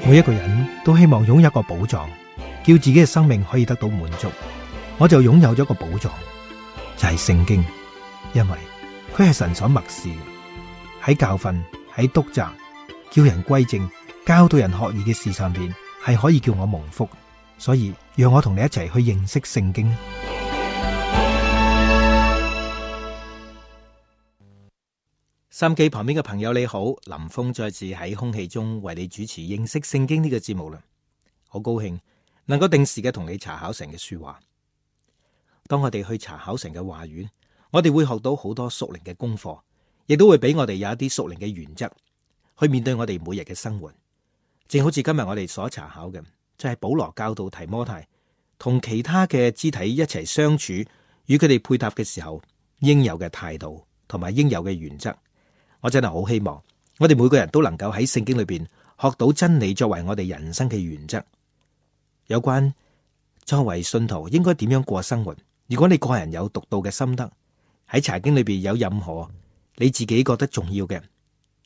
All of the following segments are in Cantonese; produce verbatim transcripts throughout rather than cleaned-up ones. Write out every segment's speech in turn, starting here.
每一個人都希望擁有一個寶藏，叫自己嘅生命可以得到滿足。我就擁有咗個寶藏，就係聖經，因為佢係神所默示，喺教訓、喺督責、叫人歸正、教導人學義嘅事上邊，係可以叫我蒙福。所以讓我同你一齊去認識聖經。收音機旁邊嘅朋友你好，林峰再次喺空氣中為你主持認識聖經呢個節目啦。好高興能夠定時嘅同你查考神嘅書話。當我哋去查考神嘅話語，我哋會學到好多屬靈嘅功課，亦都會俾我哋有一啲屬靈嘅原則去面對我哋每日嘅生活。正好似今日我哋所查考嘅，就係保羅教導提摩太同其他嘅肢體一齊相處，與佢哋配搭嘅時候應有嘅態度同埋應有嘅原則。我真係好希望我哋每個人都能夠喺聖經裏邊學到真理，作為我哋人生嘅原則。有關作為信徒應該點樣過生活，如果你個人有獨到嘅心得，喺查經裏邊有任何你自己覺得重要嘅，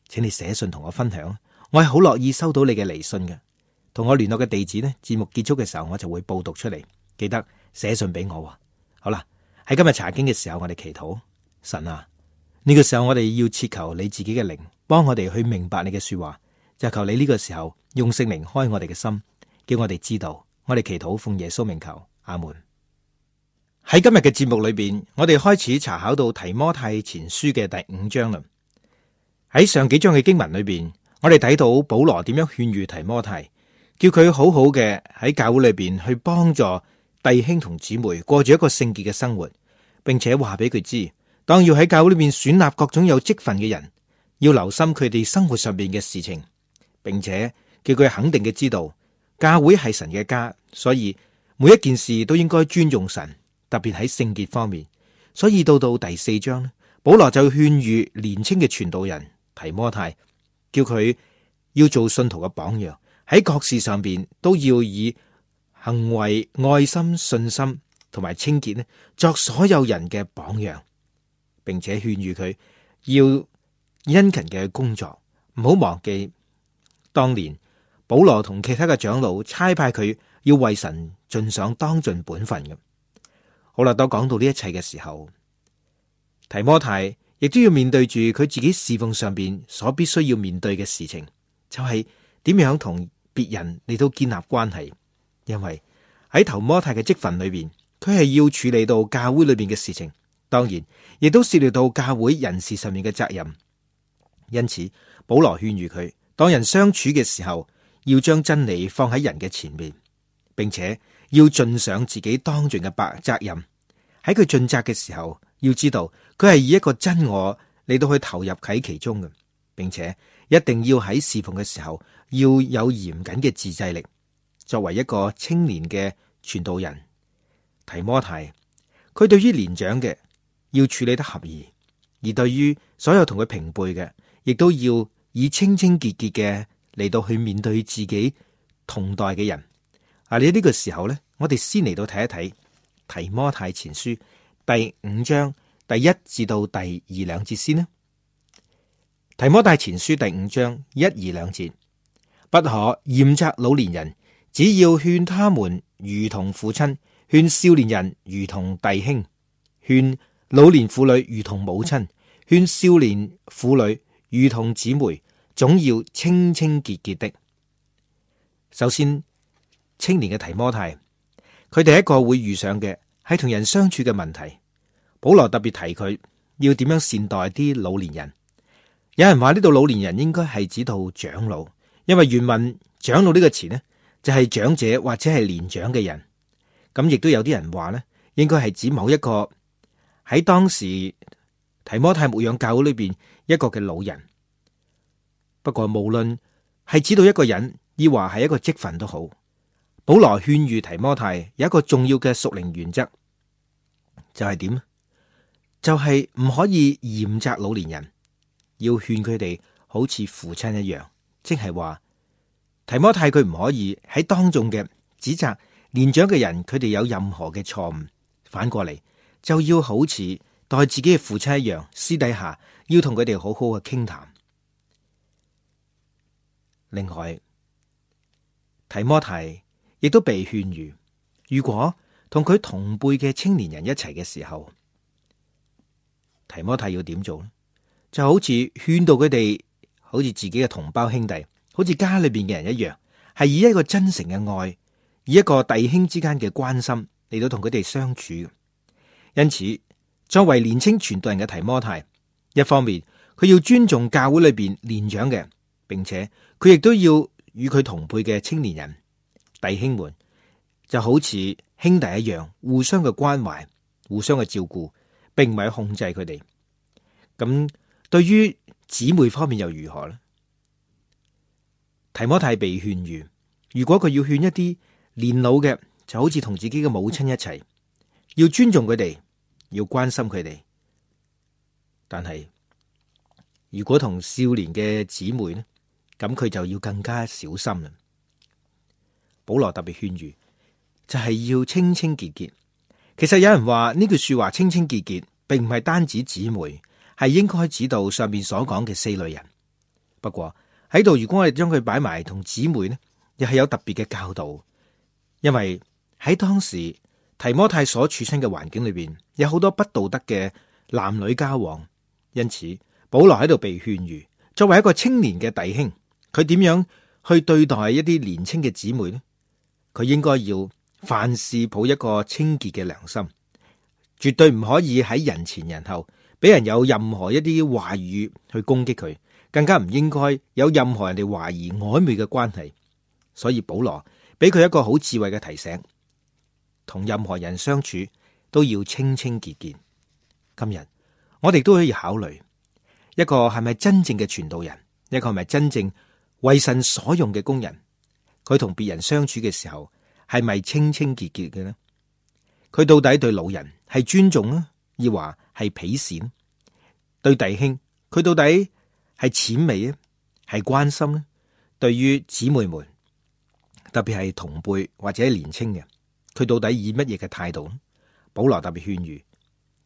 請你寫信同我分享。我係好樂意收到你嘅嚟信嘅。同我聯絡嘅地址呢，節目結束嘅時候我就會報讀出嚟，記得寫信俾我。好啦，喺今日查經嘅時候，我哋祈禱。神啊，呢個時候我哋要切求你自己嘅靈幫我哋去明白你嘅說話，就求你呢個時候用聖靈開我哋嘅心，叫我哋知道。我哋祈禱奉耶穌名求，阿門。喺今日嘅節目裏邊，我哋開始查考到提摩太前書嘅第五章啦。喺上幾章嘅經文裏邊，我哋睇到保羅點樣勸喻提摩太，叫佢好好嘅喺教會裏邊去幫助弟兄同姊妹過住一個聖潔嘅生活，並且話俾佢知，當要喺教會裏邊選立各種有職分嘅人，要留心佢哋生活上邊嘅事情，並且叫佢肯定嘅知道，教會係神嘅家，所以每一件事都應該尊重神，特別喺聖潔方面。所以到到第四章，保羅就勸喻年輕嘅傳道人提摩太，叫佢要做信徒嘅榜樣，喺各事上邊都要以行為、愛心、信心同埋清潔呢，作所有人嘅榜樣，並且勸喻佢要殷勤嘅工作，唔好忘記當年保羅同其他嘅長老差派佢要為神盡上當盡本分嘅。好啦，當講到呢一切嘅時候，提摩太亦都要面對住佢自己侍奉上邊所必須要面對嘅事情，就係點樣同別人嚟到建立關係。因為喺提摩太嘅職份裏邊，佢係要處理到教會裏邊嘅事情，當然亦都涉獵到教會人事上面嘅責任。因此保羅勸喻佢，當人相處嘅時候，要將真理放喺人嘅前面，並且要盡上自己當盡嘅白責任。喺佢盡責嘅時候，要知道佢係以一個真我嚟到去投入喺其中嘅，並且一定要喺侍奉嘅時候要有嚴謹嘅自制力。作為一個青年嘅傳道人，提摩太，佢對於年長嘅要處理得合宜，而對於所有同佢平輩嘅，亦都要以清清潔潔嘅嚟到去面對自己同代嘅人。啊，你呢個時候呢，我哋先嚟到睇一睇提摩太前書第五章第一至到第二兩節先啦。提摩太前書第五章一二兩節，不可嚴責老年人，只要勸他們如同父親，勸少年人如同弟兄，勸老年婦女如同母親，勸少年婦女如同姊妹，總要清清潔潔的。首先，青年嘅提摩太，佢第一個會遇上嘅係同人相處嘅問題。保羅特別提佢要點樣善待啲老年人。有人話呢度老年人應該係指到長老，因為原文長老呢個詞呢，就係長者或者係年長嘅人。咁亦都有啲人話呢，應該係指某一個喺當時提摩太牧養教會裏邊一個嘅老人。不過無論係指到一個人，亦或係一個職分都好，保羅勸喻提摩太有一個重要嘅屬靈原則，就係點？就係唔可以嚴責老年人，要勸佢哋好似父親一樣，即係話提摩太佢唔可以喺當眾嘅指責年長嘅人，佢哋有任何嘅錯誤，反過嚟就要好似待自己嘅父親一樣，私底下要同佢哋好好嘅傾談。另外，提摩太亦都被勸喻，如果同佢同輩嘅青年人一齊嘅時候，提摩太要點做呢？就好似勸導佢哋，好似自己嘅同胞兄弟，好似家裏邊嘅人一樣，係以一個真誠嘅愛，以一個弟兄之間嘅關心嚟到同佢哋相處。因此，作為年青傳道人嘅提摩太，一方面佢要尊重教會裏邊年長嘅，並且佢亦都要與佢同輩嘅青年人弟兄們，就好似兄弟一樣，互相嘅關懷，互相嘅照顧，並唔係控制佢哋。咁對於姊妹方面又如何呢？提摩太被勸喻，如果佢要勸一啲年老嘅，就好似同自己嘅母親一齊，要尊重佢哋，要關心佢哋。但係如果同少年嘅姊妹呢，咁佢就要更加小心啦。保羅特別勸喻，就係要清清潔潔。其實有人話呢句說話清清潔潔，並唔係單指姊妹，係應該指到上面所講嘅四類人。不過喺度，如果我哋將佢擺埋同姊妹呢，又係有特別嘅教導。因為喺當時提摩太所處身嘅環境裏邊，有好多不道德嘅男女交往，因此保羅喺度被勸喻，作為一個青年嘅弟兄，佢點樣去對待一啲年輕嘅姊妹呢？佢應該要凡事抱一個清潔嘅良心，絕對唔可以喺人前人後俾人有任何一啲話語去攻擊佢，更加唔應該有任何人哋懷疑曖昧嘅關係。所以保羅俾佢一個好智慧嘅提醒，同任何人相處都要清清潔潔。今日我哋都可以考慮一個係咪真正嘅傳道人，一個係咪真正為神所用嘅工人，佢同別人相處嘅時候係咪清清潔潔嘅呢？佢到底對老人係尊重呢，抑或係鄙視呢？對弟兄佢到底係淺微呢，係關心呢？對於姊妹們，特別係同輩或者年青嘅，佢到底以乜嘢嘅態度呢？保羅特別勸喻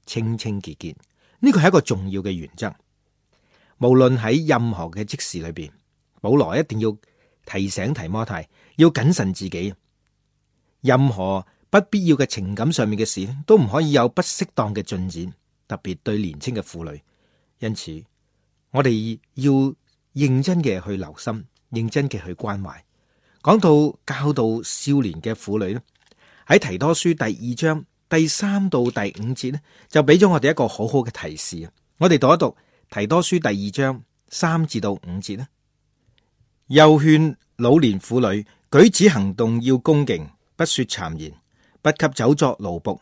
清清潔潔，呢個係一個重要嘅原則。無論喺任何嘅職事裏邊，保羅一定要提醒提摩太要謹慎自己，任何不必要嘅情感上面嘅事都唔可以有不適當嘅進展，特別對年輕嘅婦女。因此，我哋要認真嘅去留心，認真嘅去關懷。講到教導少年嘅婦女咧，喺提多書第二章第三到第五節咧，就俾咗我哋一個好好嘅提示。我哋讀一讀提多書第二章三至到五節咧，又勸老年婦女舉止行動要恭敬，不說讒言，不給酒作奴僕，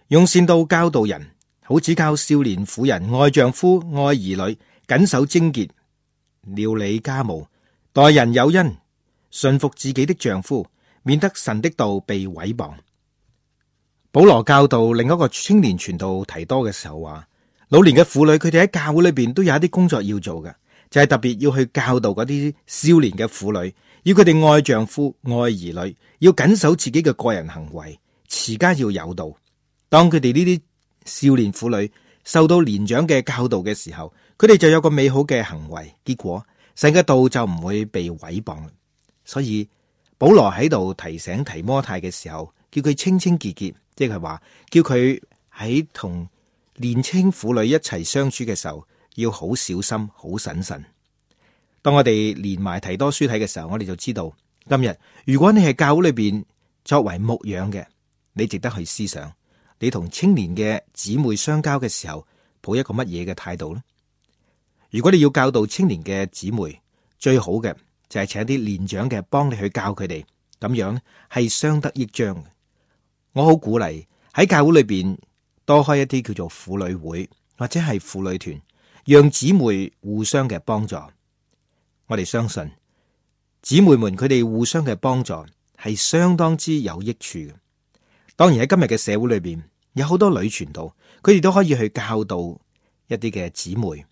用善道教導人，好指教少年婦人愛丈夫、愛兒女，謹守貞潔，料理家務，待人有恩，順服自己的丈夫，免得神的道被毀謗。保羅教導另一個青年傳道提多嘅時候話，老年嘅婦女佢哋喺教會裏邊都有一啲工作要做嘅，就係、是、特別要去教導嗰啲少年嘅婦女，要佢哋愛丈夫、愛兒女，要謹守自己嘅個人行為，持家要有道。當佢哋呢啲少年婦女受到年長嘅教導嘅時候，佢哋就有個美好嘅行為，結果神嘅道就唔會被毀謗。所以保羅喺度提醒提摩太嘅時候，叫佢清清潔潔，即係話叫佢喺同年輕婦女一齊相處嘅時候要好小心、好審慎。當我哋連埋提多書睇嘅時候，我哋就知道今日如果你係教會裏邊作為牧養嘅，你值得去思想，你同青年嘅姊妹相交嘅時候抱一個乜嘢嘅態度呢？如果你要教導青年嘅姊妹，最好嘅就係請啲年長嘅幫你去教佢哋，咁樣咧係相得益彰嘅。我好鼓勵喺教會裏邊多開一啲叫做婦女會或者係婦女團，讓姊妹互相嘅幫助。我哋相信姊妹們佢哋互相嘅幫助係相當之有益處嘅。當然喺今日嘅社會裏邊，有好多女傳道，佢哋都可以去教導一啲嘅姊妹。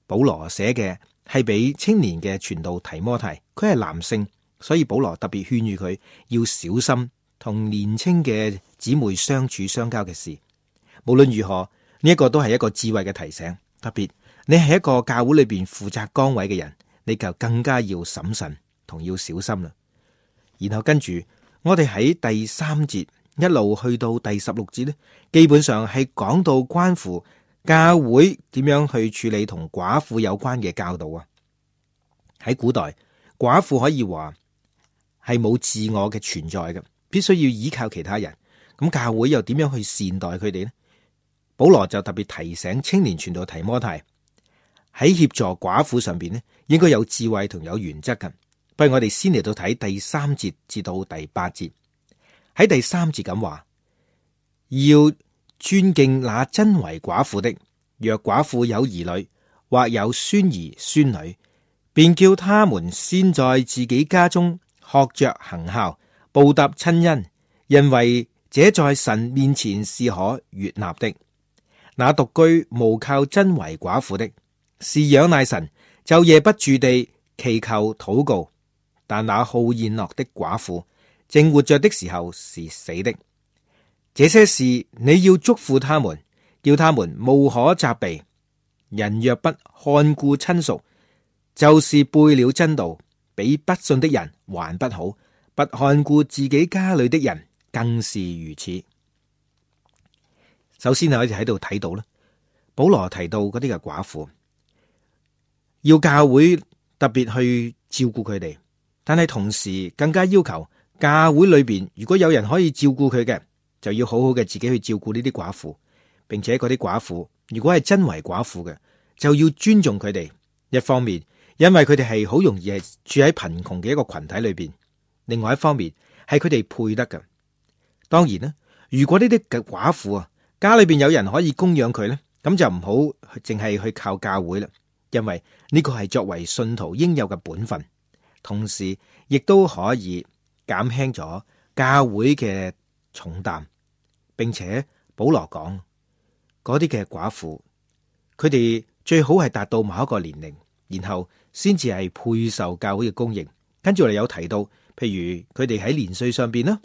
保羅寫嘅係俾青年嘅傳道提摩太，佢係男性，所以保羅特別勸喻佢要小心同年輕嘅姊妹相處相交嘅事。無論如何，呢一個都係一個智慧嘅提醒。特別你係一個教會裏邊負責崗位嘅人，你就更加要審慎，同要小心啦。然後跟住我哋喺第三節一路去到第十六節呢，基本上係講到關乎教會點樣去處理同寡婦有關嘅教導啊。喺古代，寡婦可以話係冇自我嘅存在嘅，必須要依靠其他人。咁教會又點樣去善待佢哋呢？保羅就特別提醒青年傳道提摩太喺協助寡婦上邊呢，應該有智慧同有原則嘅。不如我哋先嚟到睇第三節至到第八節。喺第三節咁話，要尊敬那真為寡婦的，若寡婦有兒女或有孫兒孫女，便叫他們先在自己家中學着行孝，報答親恩，因為這在神面前是可悅納的。那獨居無靠真為寡婦的，是仰賴神，晝夜不住地祈求禱告。但那好宴樂的寡婦，正活着的時候是死的。這些事你要囑咐他們，叫他們無可責備。人若不看顧親屬，就是背了真道，比不信的人還不好。不看顧自己家裏的人，更是如此。首先我哋喺度睇到咧，保羅提到嗰啲嘅寡婦，要教會特別去照顧佢哋，但係同時更加要求教會裏邊，如果有人可以照顧佢嘅，就要好好嘅自己去照顧呢啲寡婦，並且嗰啲寡婦如果係真為寡婦嘅，就要尊重佢哋。一方面，因為佢哋係好容易係住喺貧窮嘅一個群體裏邊；另外一方面，係佢哋配得嘅。當然啦，如果呢啲嘅寡婦啊，家裏邊有人可以供養佢咧，咁就唔好淨係去靠教會啦，因為呢個係作為信徒應有嘅本分，同時亦都可以減輕咗教會嘅重擔。並且保羅講，嗰啲嘅寡婦，佢哋最好係達到某一個年齡，然後先至係配受教會嘅供應。跟住我哋有提到，譬如佢哋喺年歲上邊啦，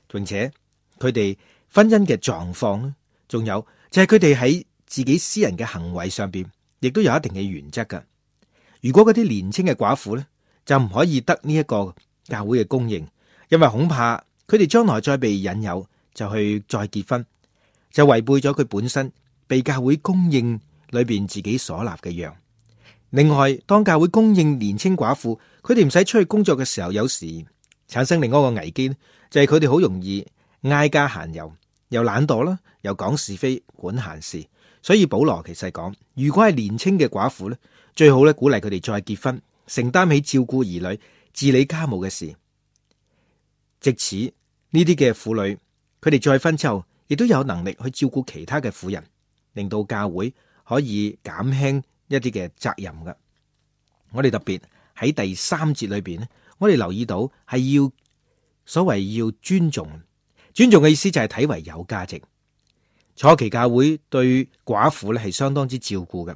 並且佢哋婚姻嘅狀況啦，仲有就係佢哋喺自己私人嘅行為上邊，亦都有一定嘅原則噶。如果嗰啲年輕嘅寡婦咧，就唔可以得呢一個教會嘅供應，因為恐怕佢哋將來再被引誘就去再結婚，就違背咗佢本身被教會供應裏邊自己所立嘅約。另外，當教會供應年輕寡婦，佢哋唔使出去工作嘅時候，有時產生另外一個危機，就係佢哋好容易挨家閒遊，又懶惰啦，又講是非，管閒事。所以保羅其實講，如果係年輕嘅寡婦咧，最好咧鼓勵佢哋再結婚，承擔起照顧兒女、治理家務嘅事。藉此呢啲嘅婦女，佢哋再婚之後，亦都有能力去照顧其他嘅婦人，令到教會可以減輕一啲嘅責任㗎。我哋特別喺第三節裏邊咧，我哋留意到係要所謂要尊重，尊重嘅意思就係睇為有價值。初期教會對寡婦咧係相當之照顧嘅。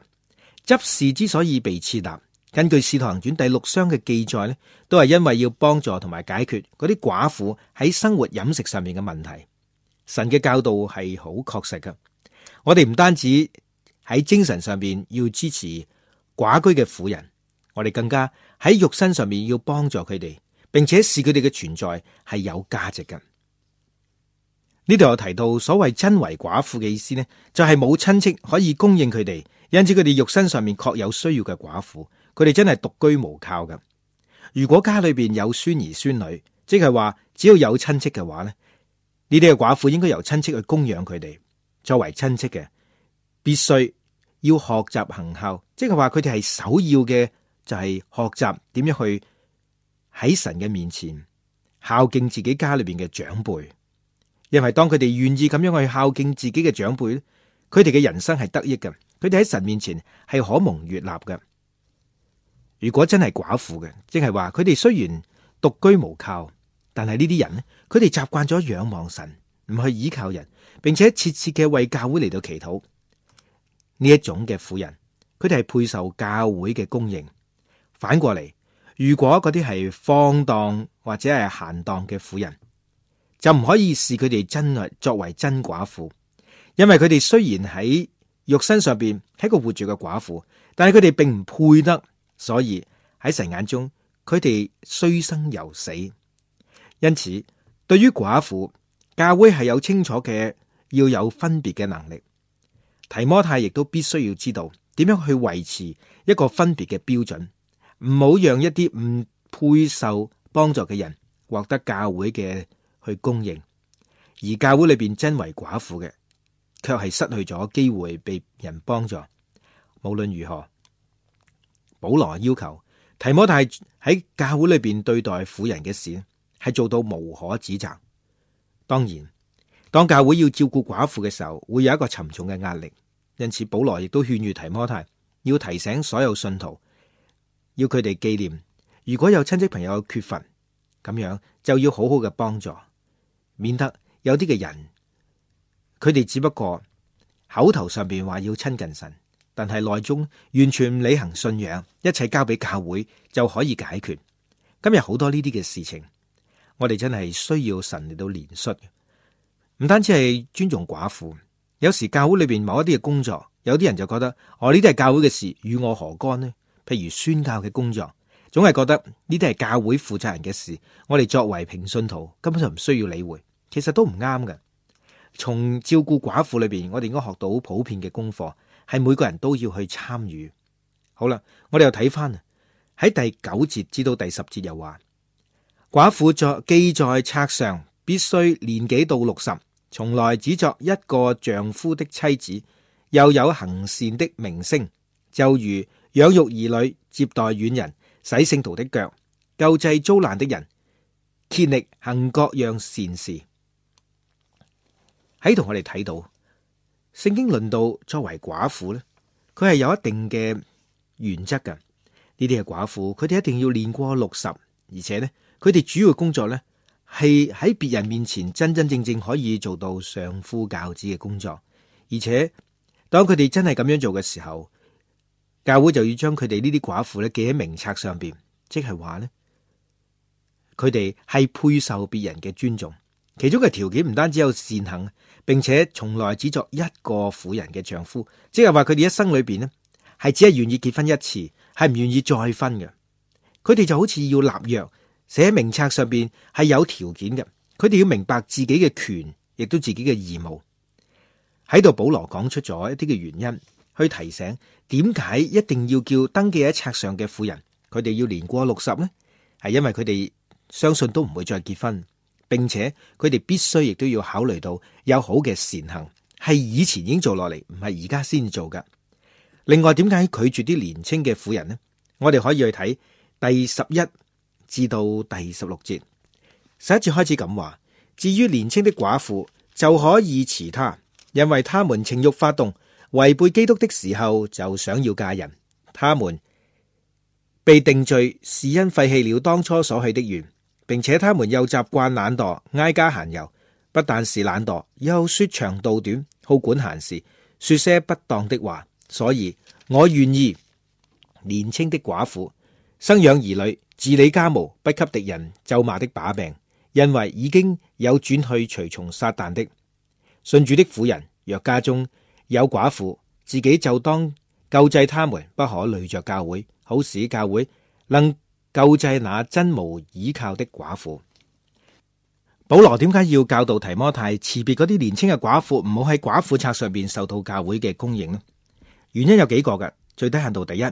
執事之所以被設立，根據《使徒行傳》第六章嘅記載咧，都係因為要幫助同埋解決嗰啲寡婦喺生活飲食上面嘅問題。神嘅教導係好確實㗎。我哋唔單止喺精神上邊要支持寡居嘅婦人，我哋更加喺肉身上面要幫助佢哋，並且視佢哋嘅存在係有價值嘅。呢度有提到所謂真為寡婦嘅意思呢，就係冇親戚可以供應佢哋，因此佢哋肉身上面確有需要嘅寡婦，佢哋真係獨居無靠㗎。如果家裏邊有孫兒孫女，即係話只要有親戚嘅話呢，呢啲嘅寡婦應該由親戚去供養佢哋。作為親戚嘅，必須要學習行孝，即係話佢哋係首要嘅，就係學習點樣去喺神嘅面前孝敬自己家裏邊嘅長輩。因為當佢哋願意咁樣去孝敬自己嘅長輩，佢哋嘅人生係得益嘅，佢哋喺神面前係可蒙悅納嘅。如果真係寡婦嘅，即係話佢哋雖然獨居無靠，但係呢啲人呢，佢哋習慣咗仰望神，唔去依靠人，並且切切嘅為教會嚟到祈禱。呢一種嘅婦人，佢哋係配受教會嘅供應。反過嚟，如果嗰啲係放蕩或者係閒蕩嘅婦人，就唔可以視佢哋真係作為真寡婦，因為佢哋雖然喺肉身上邊係個活住嘅寡婦，但係佢哋並唔配得，所以喺神眼中佢哋雖生猶死。因此，對於寡婦，教會係有清楚嘅要有分別嘅能力。提摩太亦都必須要知道點樣去維持一個分別嘅標準，唔好讓一啲唔配受幫助嘅人獲得教會嘅去供應，而教會裏邊真為寡婦嘅，卻係失去咗機會被人幫助。無論如何，保羅要求提摩太喺教會裏邊對待婦人嘅事係做到無可指責。當然，當教會要照顧寡婦嘅時候，會有一個沉重嘅壓力。因此，保羅亦都勸喻提摩太要提醒所有信徒，要佢哋紀念，如果有親戚朋友缺乏，咁樣就要好好嘅幫助，免得有啲嘅人，佢哋只不過口頭上邊話要親近神，但係內中完全唔履行信仰，一切交俾教會就可以解決。今日好多呢啲嘅事情，我哋真係需要神嚟到憐恤，唔單止係尊重寡婦。有時教會裏邊某一啲嘅工作，有啲人就覺得哦，呢啲係教會嘅事，與我何干呢？譬如宣教嘅工作，總係覺得呢啲係教會負責人嘅事，我哋作為平信徒根本就唔需要理會。其實都唔啱嘅。從照顧寡婦裏邊，我哋應該學到普遍嘅功課，係每個人都要去參與。好啦，我哋又睇翻喺第九節至到第十節又話，寡婦在記在冊上，必須年紀到六十。從來只作一個丈夫的妻子，又有行善的名聲，就如養育兒女、接待遠人、洗聖徒的腳、救濟遭難的人，竭力行各樣善事。喺度我哋睇到聖經論到作為寡婦咧，佢係有一定嘅原則㗎。呢啲係寡婦，佢哋一定要年過六十，而且咧，佢哋主要工作咧，係喺別人面前真真正正可以做到相夫教子嘅工作，而且當佢哋真係咁樣做嘅時候，教會就要將佢哋呢啲寡婦咧記喺名冊上邊，即係話咧，佢哋係配受別人嘅尊重。其中嘅條件唔單止有善行，並且從來只作一個婦人嘅丈夫，即係話佢哋一生裏邊咧係只係願意結婚一次，係唔願意再婚嘅。佢哋就好似要立約。寫喺名冊上邊係有條件嘅，佢哋要明白自己嘅權，亦都自己嘅義務。喺度保羅講出咗一啲嘅原因，去提醒點解一定要叫登記喺冊上嘅婦人，佢哋要年過六十呢？係因為佢哋相信都唔會再結婚，並且佢哋必須亦都要考慮到有好嘅善行，係以前已經做落嚟，唔係而家先做噶。另外，點解拒絕啲年輕嘅婦人呢？我哋可以去睇第十一至到第十六節，十一節開始咁話，至於年輕的寡婦就可以辭他，因為他們情欲發動，違背基督的時候就想要嫁人。他們被定罪是因廢棄了當初所許的願，並且他們又習慣懶惰，挨家閒遊，不但是懶惰，又說長道短，好管閒事，說些不當的話。所以我願意年輕的寡婦生養兒女，治理家務，不給敵人咒罵的把柄，因為已經有轉去隨從撒旦的。信主的婦人若家中有寡婦，自己就當救濟他們，不可累着教會，好使教會能救濟那真無倚靠的寡婦。保羅點解要教導提摩太辭別嗰啲年輕嘅寡婦，唔好喺寡婦冊上邊受到教會嘅供應呢？原因有幾個嘅，最低限度第一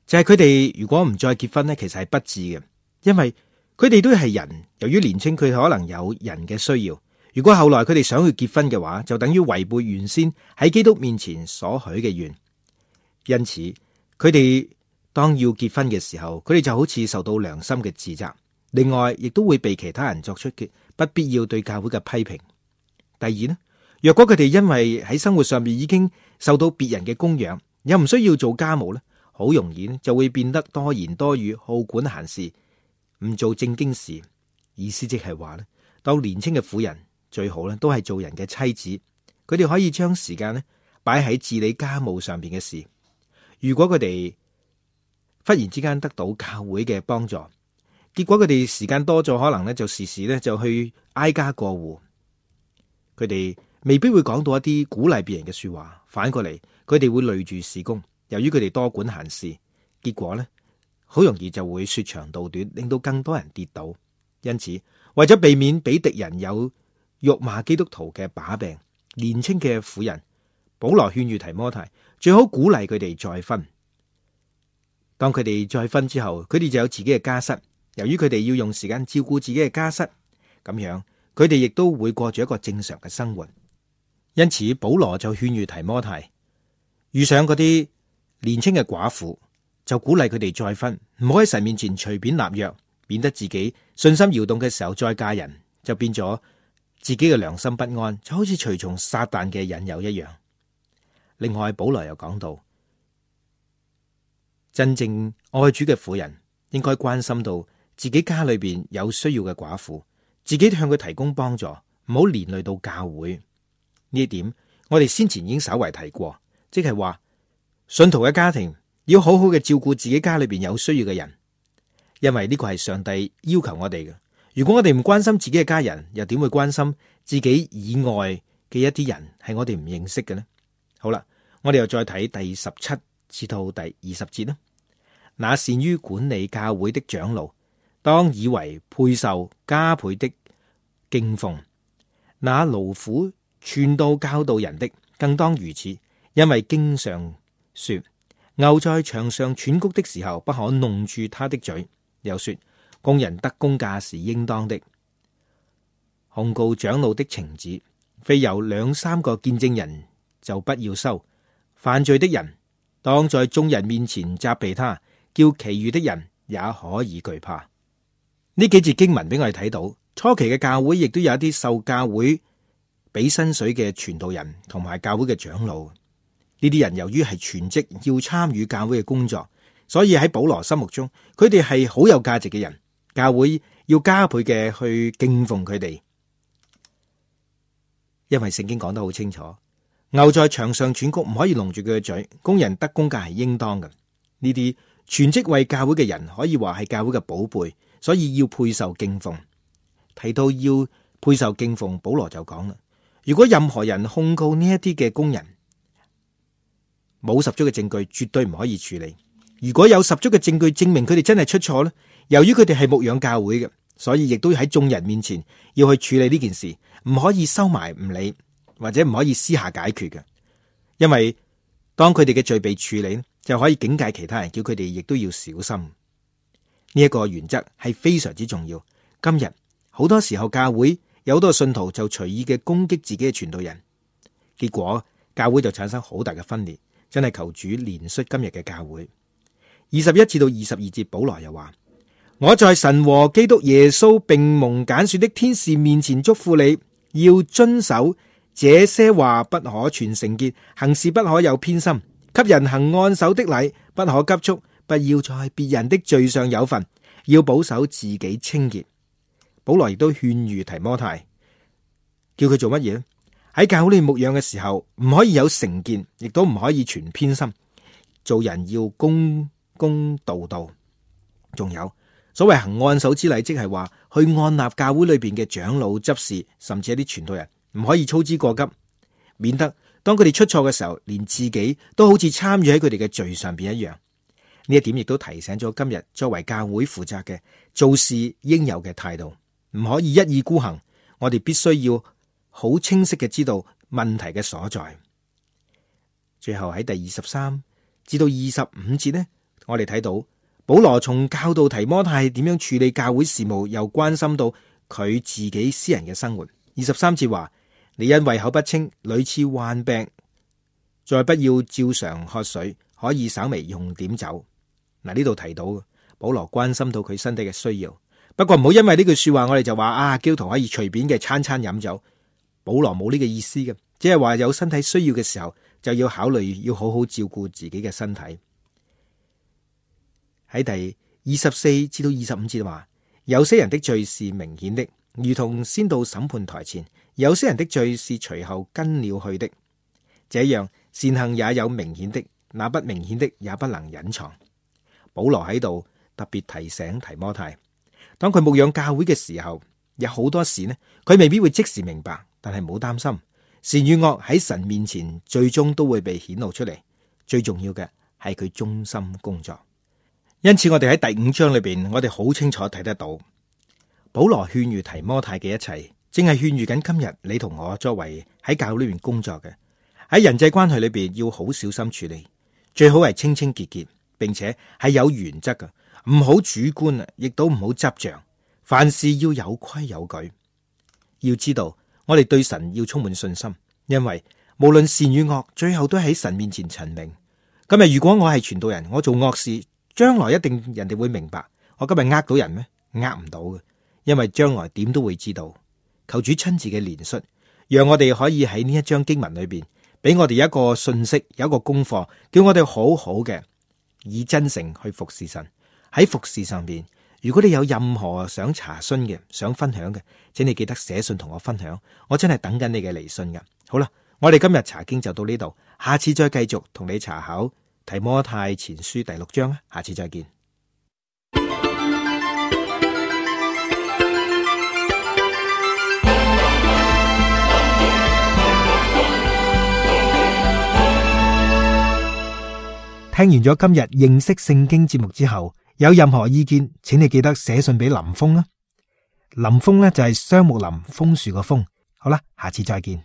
就係佢哋如果唔再結婚呢，其實係不智嘅，因為佢哋都係人，由於年輕，佢可能有人嘅需要。如果後來佢哋想去結婚嘅話，就等於違背原先喺基督面前所許嘅願。因此，佢哋當要結婚嘅時候，佢哋就好似受到良心嘅自責。另外，亦都會被其他人作出嘅不必要對教會嘅批評。第二呢，若果佢哋因為喺生活上面已經受到別人嘅供養，又唔需要做家務咧，好容易咧就會變得多言多語，好管閒事，唔做正經事。意思即係話咧，當年輕嘅婦人最好咧都係做人嘅妻子，佢哋可以將時間咧擺喺治理家務上邊嘅事。如果佢哋忽然之間得到教會嘅幫助，結果佢哋時間多咗，可能咧就時時咧就去挨家過戶，佢哋未必會講到一啲鼓勵別人嘅說話，反過嚟佢哋會累住事工。由於佢哋多管閒事，結果咧好容易就會說長道短，令到更多人跌倒。因此，為咗避免俾敵人有辱罵基督徒嘅把柄，年輕嘅婦人保羅勸喻提摩太，最好鼓勵佢哋再婚。當佢哋再婚之後，佢哋就有自己嘅家室。由於佢哋要用時間照顧自己嘅家室，咁樣佢哋亦都會過住一個正常嘅生活。因此，保羅就勸喻提摩太，遇上嗰啲年輕嘅寡婦，就鼓勵佢哋再婚，唔好喺神面前隨便立約，免得自己信心搖動嘅時候再嫁人，就變咗自己嘅良心不安，就好似隨從撒旦嘅引誘一樣。另外，保羅又講到，真正愛主嘅婦人應該關心到自己家裏邊有需要嘅寡婦，自己向佢提供幫助，唔好連累到教會。呢一點我哋先前已經稍為提過，即係話信徒嘅家庭要好好嘅照顧自己家裏邊有需要嘅人，因為呢個係上帝要求我哋嘅。如果我哋唔關心自己嘅家人，又點會關心自己以外嘅一啲人係我哋唔認識嘅呢？好啦，我哋又再睇第十七至到第二十節啦。那善於管理教會的長老，當以為配受加倍的敬奉；那勞苦傳道教導人的，更當如此。因為經上說，牛在場上喘穀的時候，不可弄住他的嘴。又說，工人得工價是應當的。控告長老的情子，非有兩三個見證人就不要收。犯罪的人，當在眾人面前責備他，叫其餘的人也可以懼怕。呢幾節經文俾我哋睇到，初期嘅教會亦都有一啲受教會俾薪水嘅傳道人同埋教會嘅長老。呢啲人由於係全職要參與教會嘅工作，所以喺保羅心目中，佢哋係好有價值嘅人。教會要加倍嘅去敬奉佢哋，因為聖經講得好清楚，牛在場上喘穀唔可以籠住佢嘅嘴，工人得工價係應當嘅。呢啲全職為教會嘅人可以話係教會嘅寶貝，所以要配受敬奉。提到要配受敬奉，保羅就講啦，如果任何人控告呢一啲嘅工人，冇十足嘅證據，絕對唔可以處理。如果有十足嘅證據證明佢哋真係出錯咧，由於佢哋係牧養教會嘅，所以亦都喺眾人面前要去處理呢件事，唔可以收埋唔理，或者唔可以私下解決嘅。因為當佢哋嘅罪被處理，就可以警戒其他人，叫佢哋亦都要小心。呢一個原則係非常之重要。今日好多時候教會有好多信徒就隨意嘅攻擊自己嘅傳道人，結果教會就產生好大嘅分裂。真係求主憐恤今日嘅教會。二十一至到二十二節，保羅又話：我在神和基督耶穌並蒙揀選的天使面前囑咐你，要遵守這些話，不可存聖潔，行事不可有偏心，給人行按手的禮，不可急促，不要在別人的罪上有份，要保守自己清潔。保羅亦都勸喻提摩太，叫佢做乜嘢呢？喺教會裏牧養嘅時候，唔可以有成見，亦都唔可以存偏心。做人要公公道道。仲有所謂行按手之禮，即係話去按立教會裏邊嘅長老執事，甚至一啲傳道人，唔可以操之過急，免得當佢哋出錯嘅時候，連自己都好似參與喺佢哋嘅罪上邊一樣。呢一點亦都提醒咗今日作為教會負責嘅做事應有嘅態度，唔可以一意孤行。我哋必須要好清晰嘅知道問題嘅所在。最後喺第二十三至到二十五節呢，我哋睇到保羅從教導提摩太點樣處理教會事務，又關心到佢自己私人嘅生活。二十三節話：你因胃口不清，屢次患病，再不要照常喝水，可以稍微用點酒。嗱，呢度提到保羅關心到佢身體嘅需要，不過唔好因為呢句說話，我哋就話啊，基督徒可以隨便嘅餐餐飲酒。保羅冇呢個意思嘅，只係話有身體需要嘅時候，就要考慮要好好照顧自己嘅身體。喺第二十四至到二十五節話：有些人的罪是明顯的，如同先到審判台前；有些人的罪是隨後跟了去的。這樣善行也有明顯的，那不明顯的也不能隱藏。保羅喺度特別提醒提摩太，當佢牧養教會嘅時候，有好多事呢，佢未必會即時明白。但係冇擔心，善與惡喺神面前最終都會被顯露出嚟。最重要嘅係佢忠心工作，因此我哋喺第五章裏邊，我哋好清楚睇得到保羅勸喻提摩太嘅一切，正係勸喻緊今日你同我作為喺教會裏邊工作嘅，喺人際關係裏邊要好小心處理，最好係清清潔潔，並且係有原則嘅，唔好主觀啊，亦都唔好執着，凡事要有規有矩。要知道我哋對神要充滿信心，因為無論善與惡，最後都喺神面前陳明。今日如果我係傳道人，我做惡事，將來一定人哋會明白。我今日呃到人咩？呃唔到嘅，因為將來點都會知道。求主親自嘅憐恤，讓我哋可以喺呢一章經文裏邊，俾我哋一個信息，有一個功課，叫我哋好好嘅以真誠去服侍神。喺服侍上邊，如果你有任何想查詢嘅、想分享嘅，請你記得寫信同我分享。我真係等緊你嘅嚟信噶。好啦，我哋今日查經就到呢度，下次再繼續同你查考提摩太前書第六章。下次再見。聽完咗今日認識聖經節目之後，有任何意見，請你記得寫信俾林峰啦。林峰咧就係雙木林楓樹個楓。好啦，下次再見。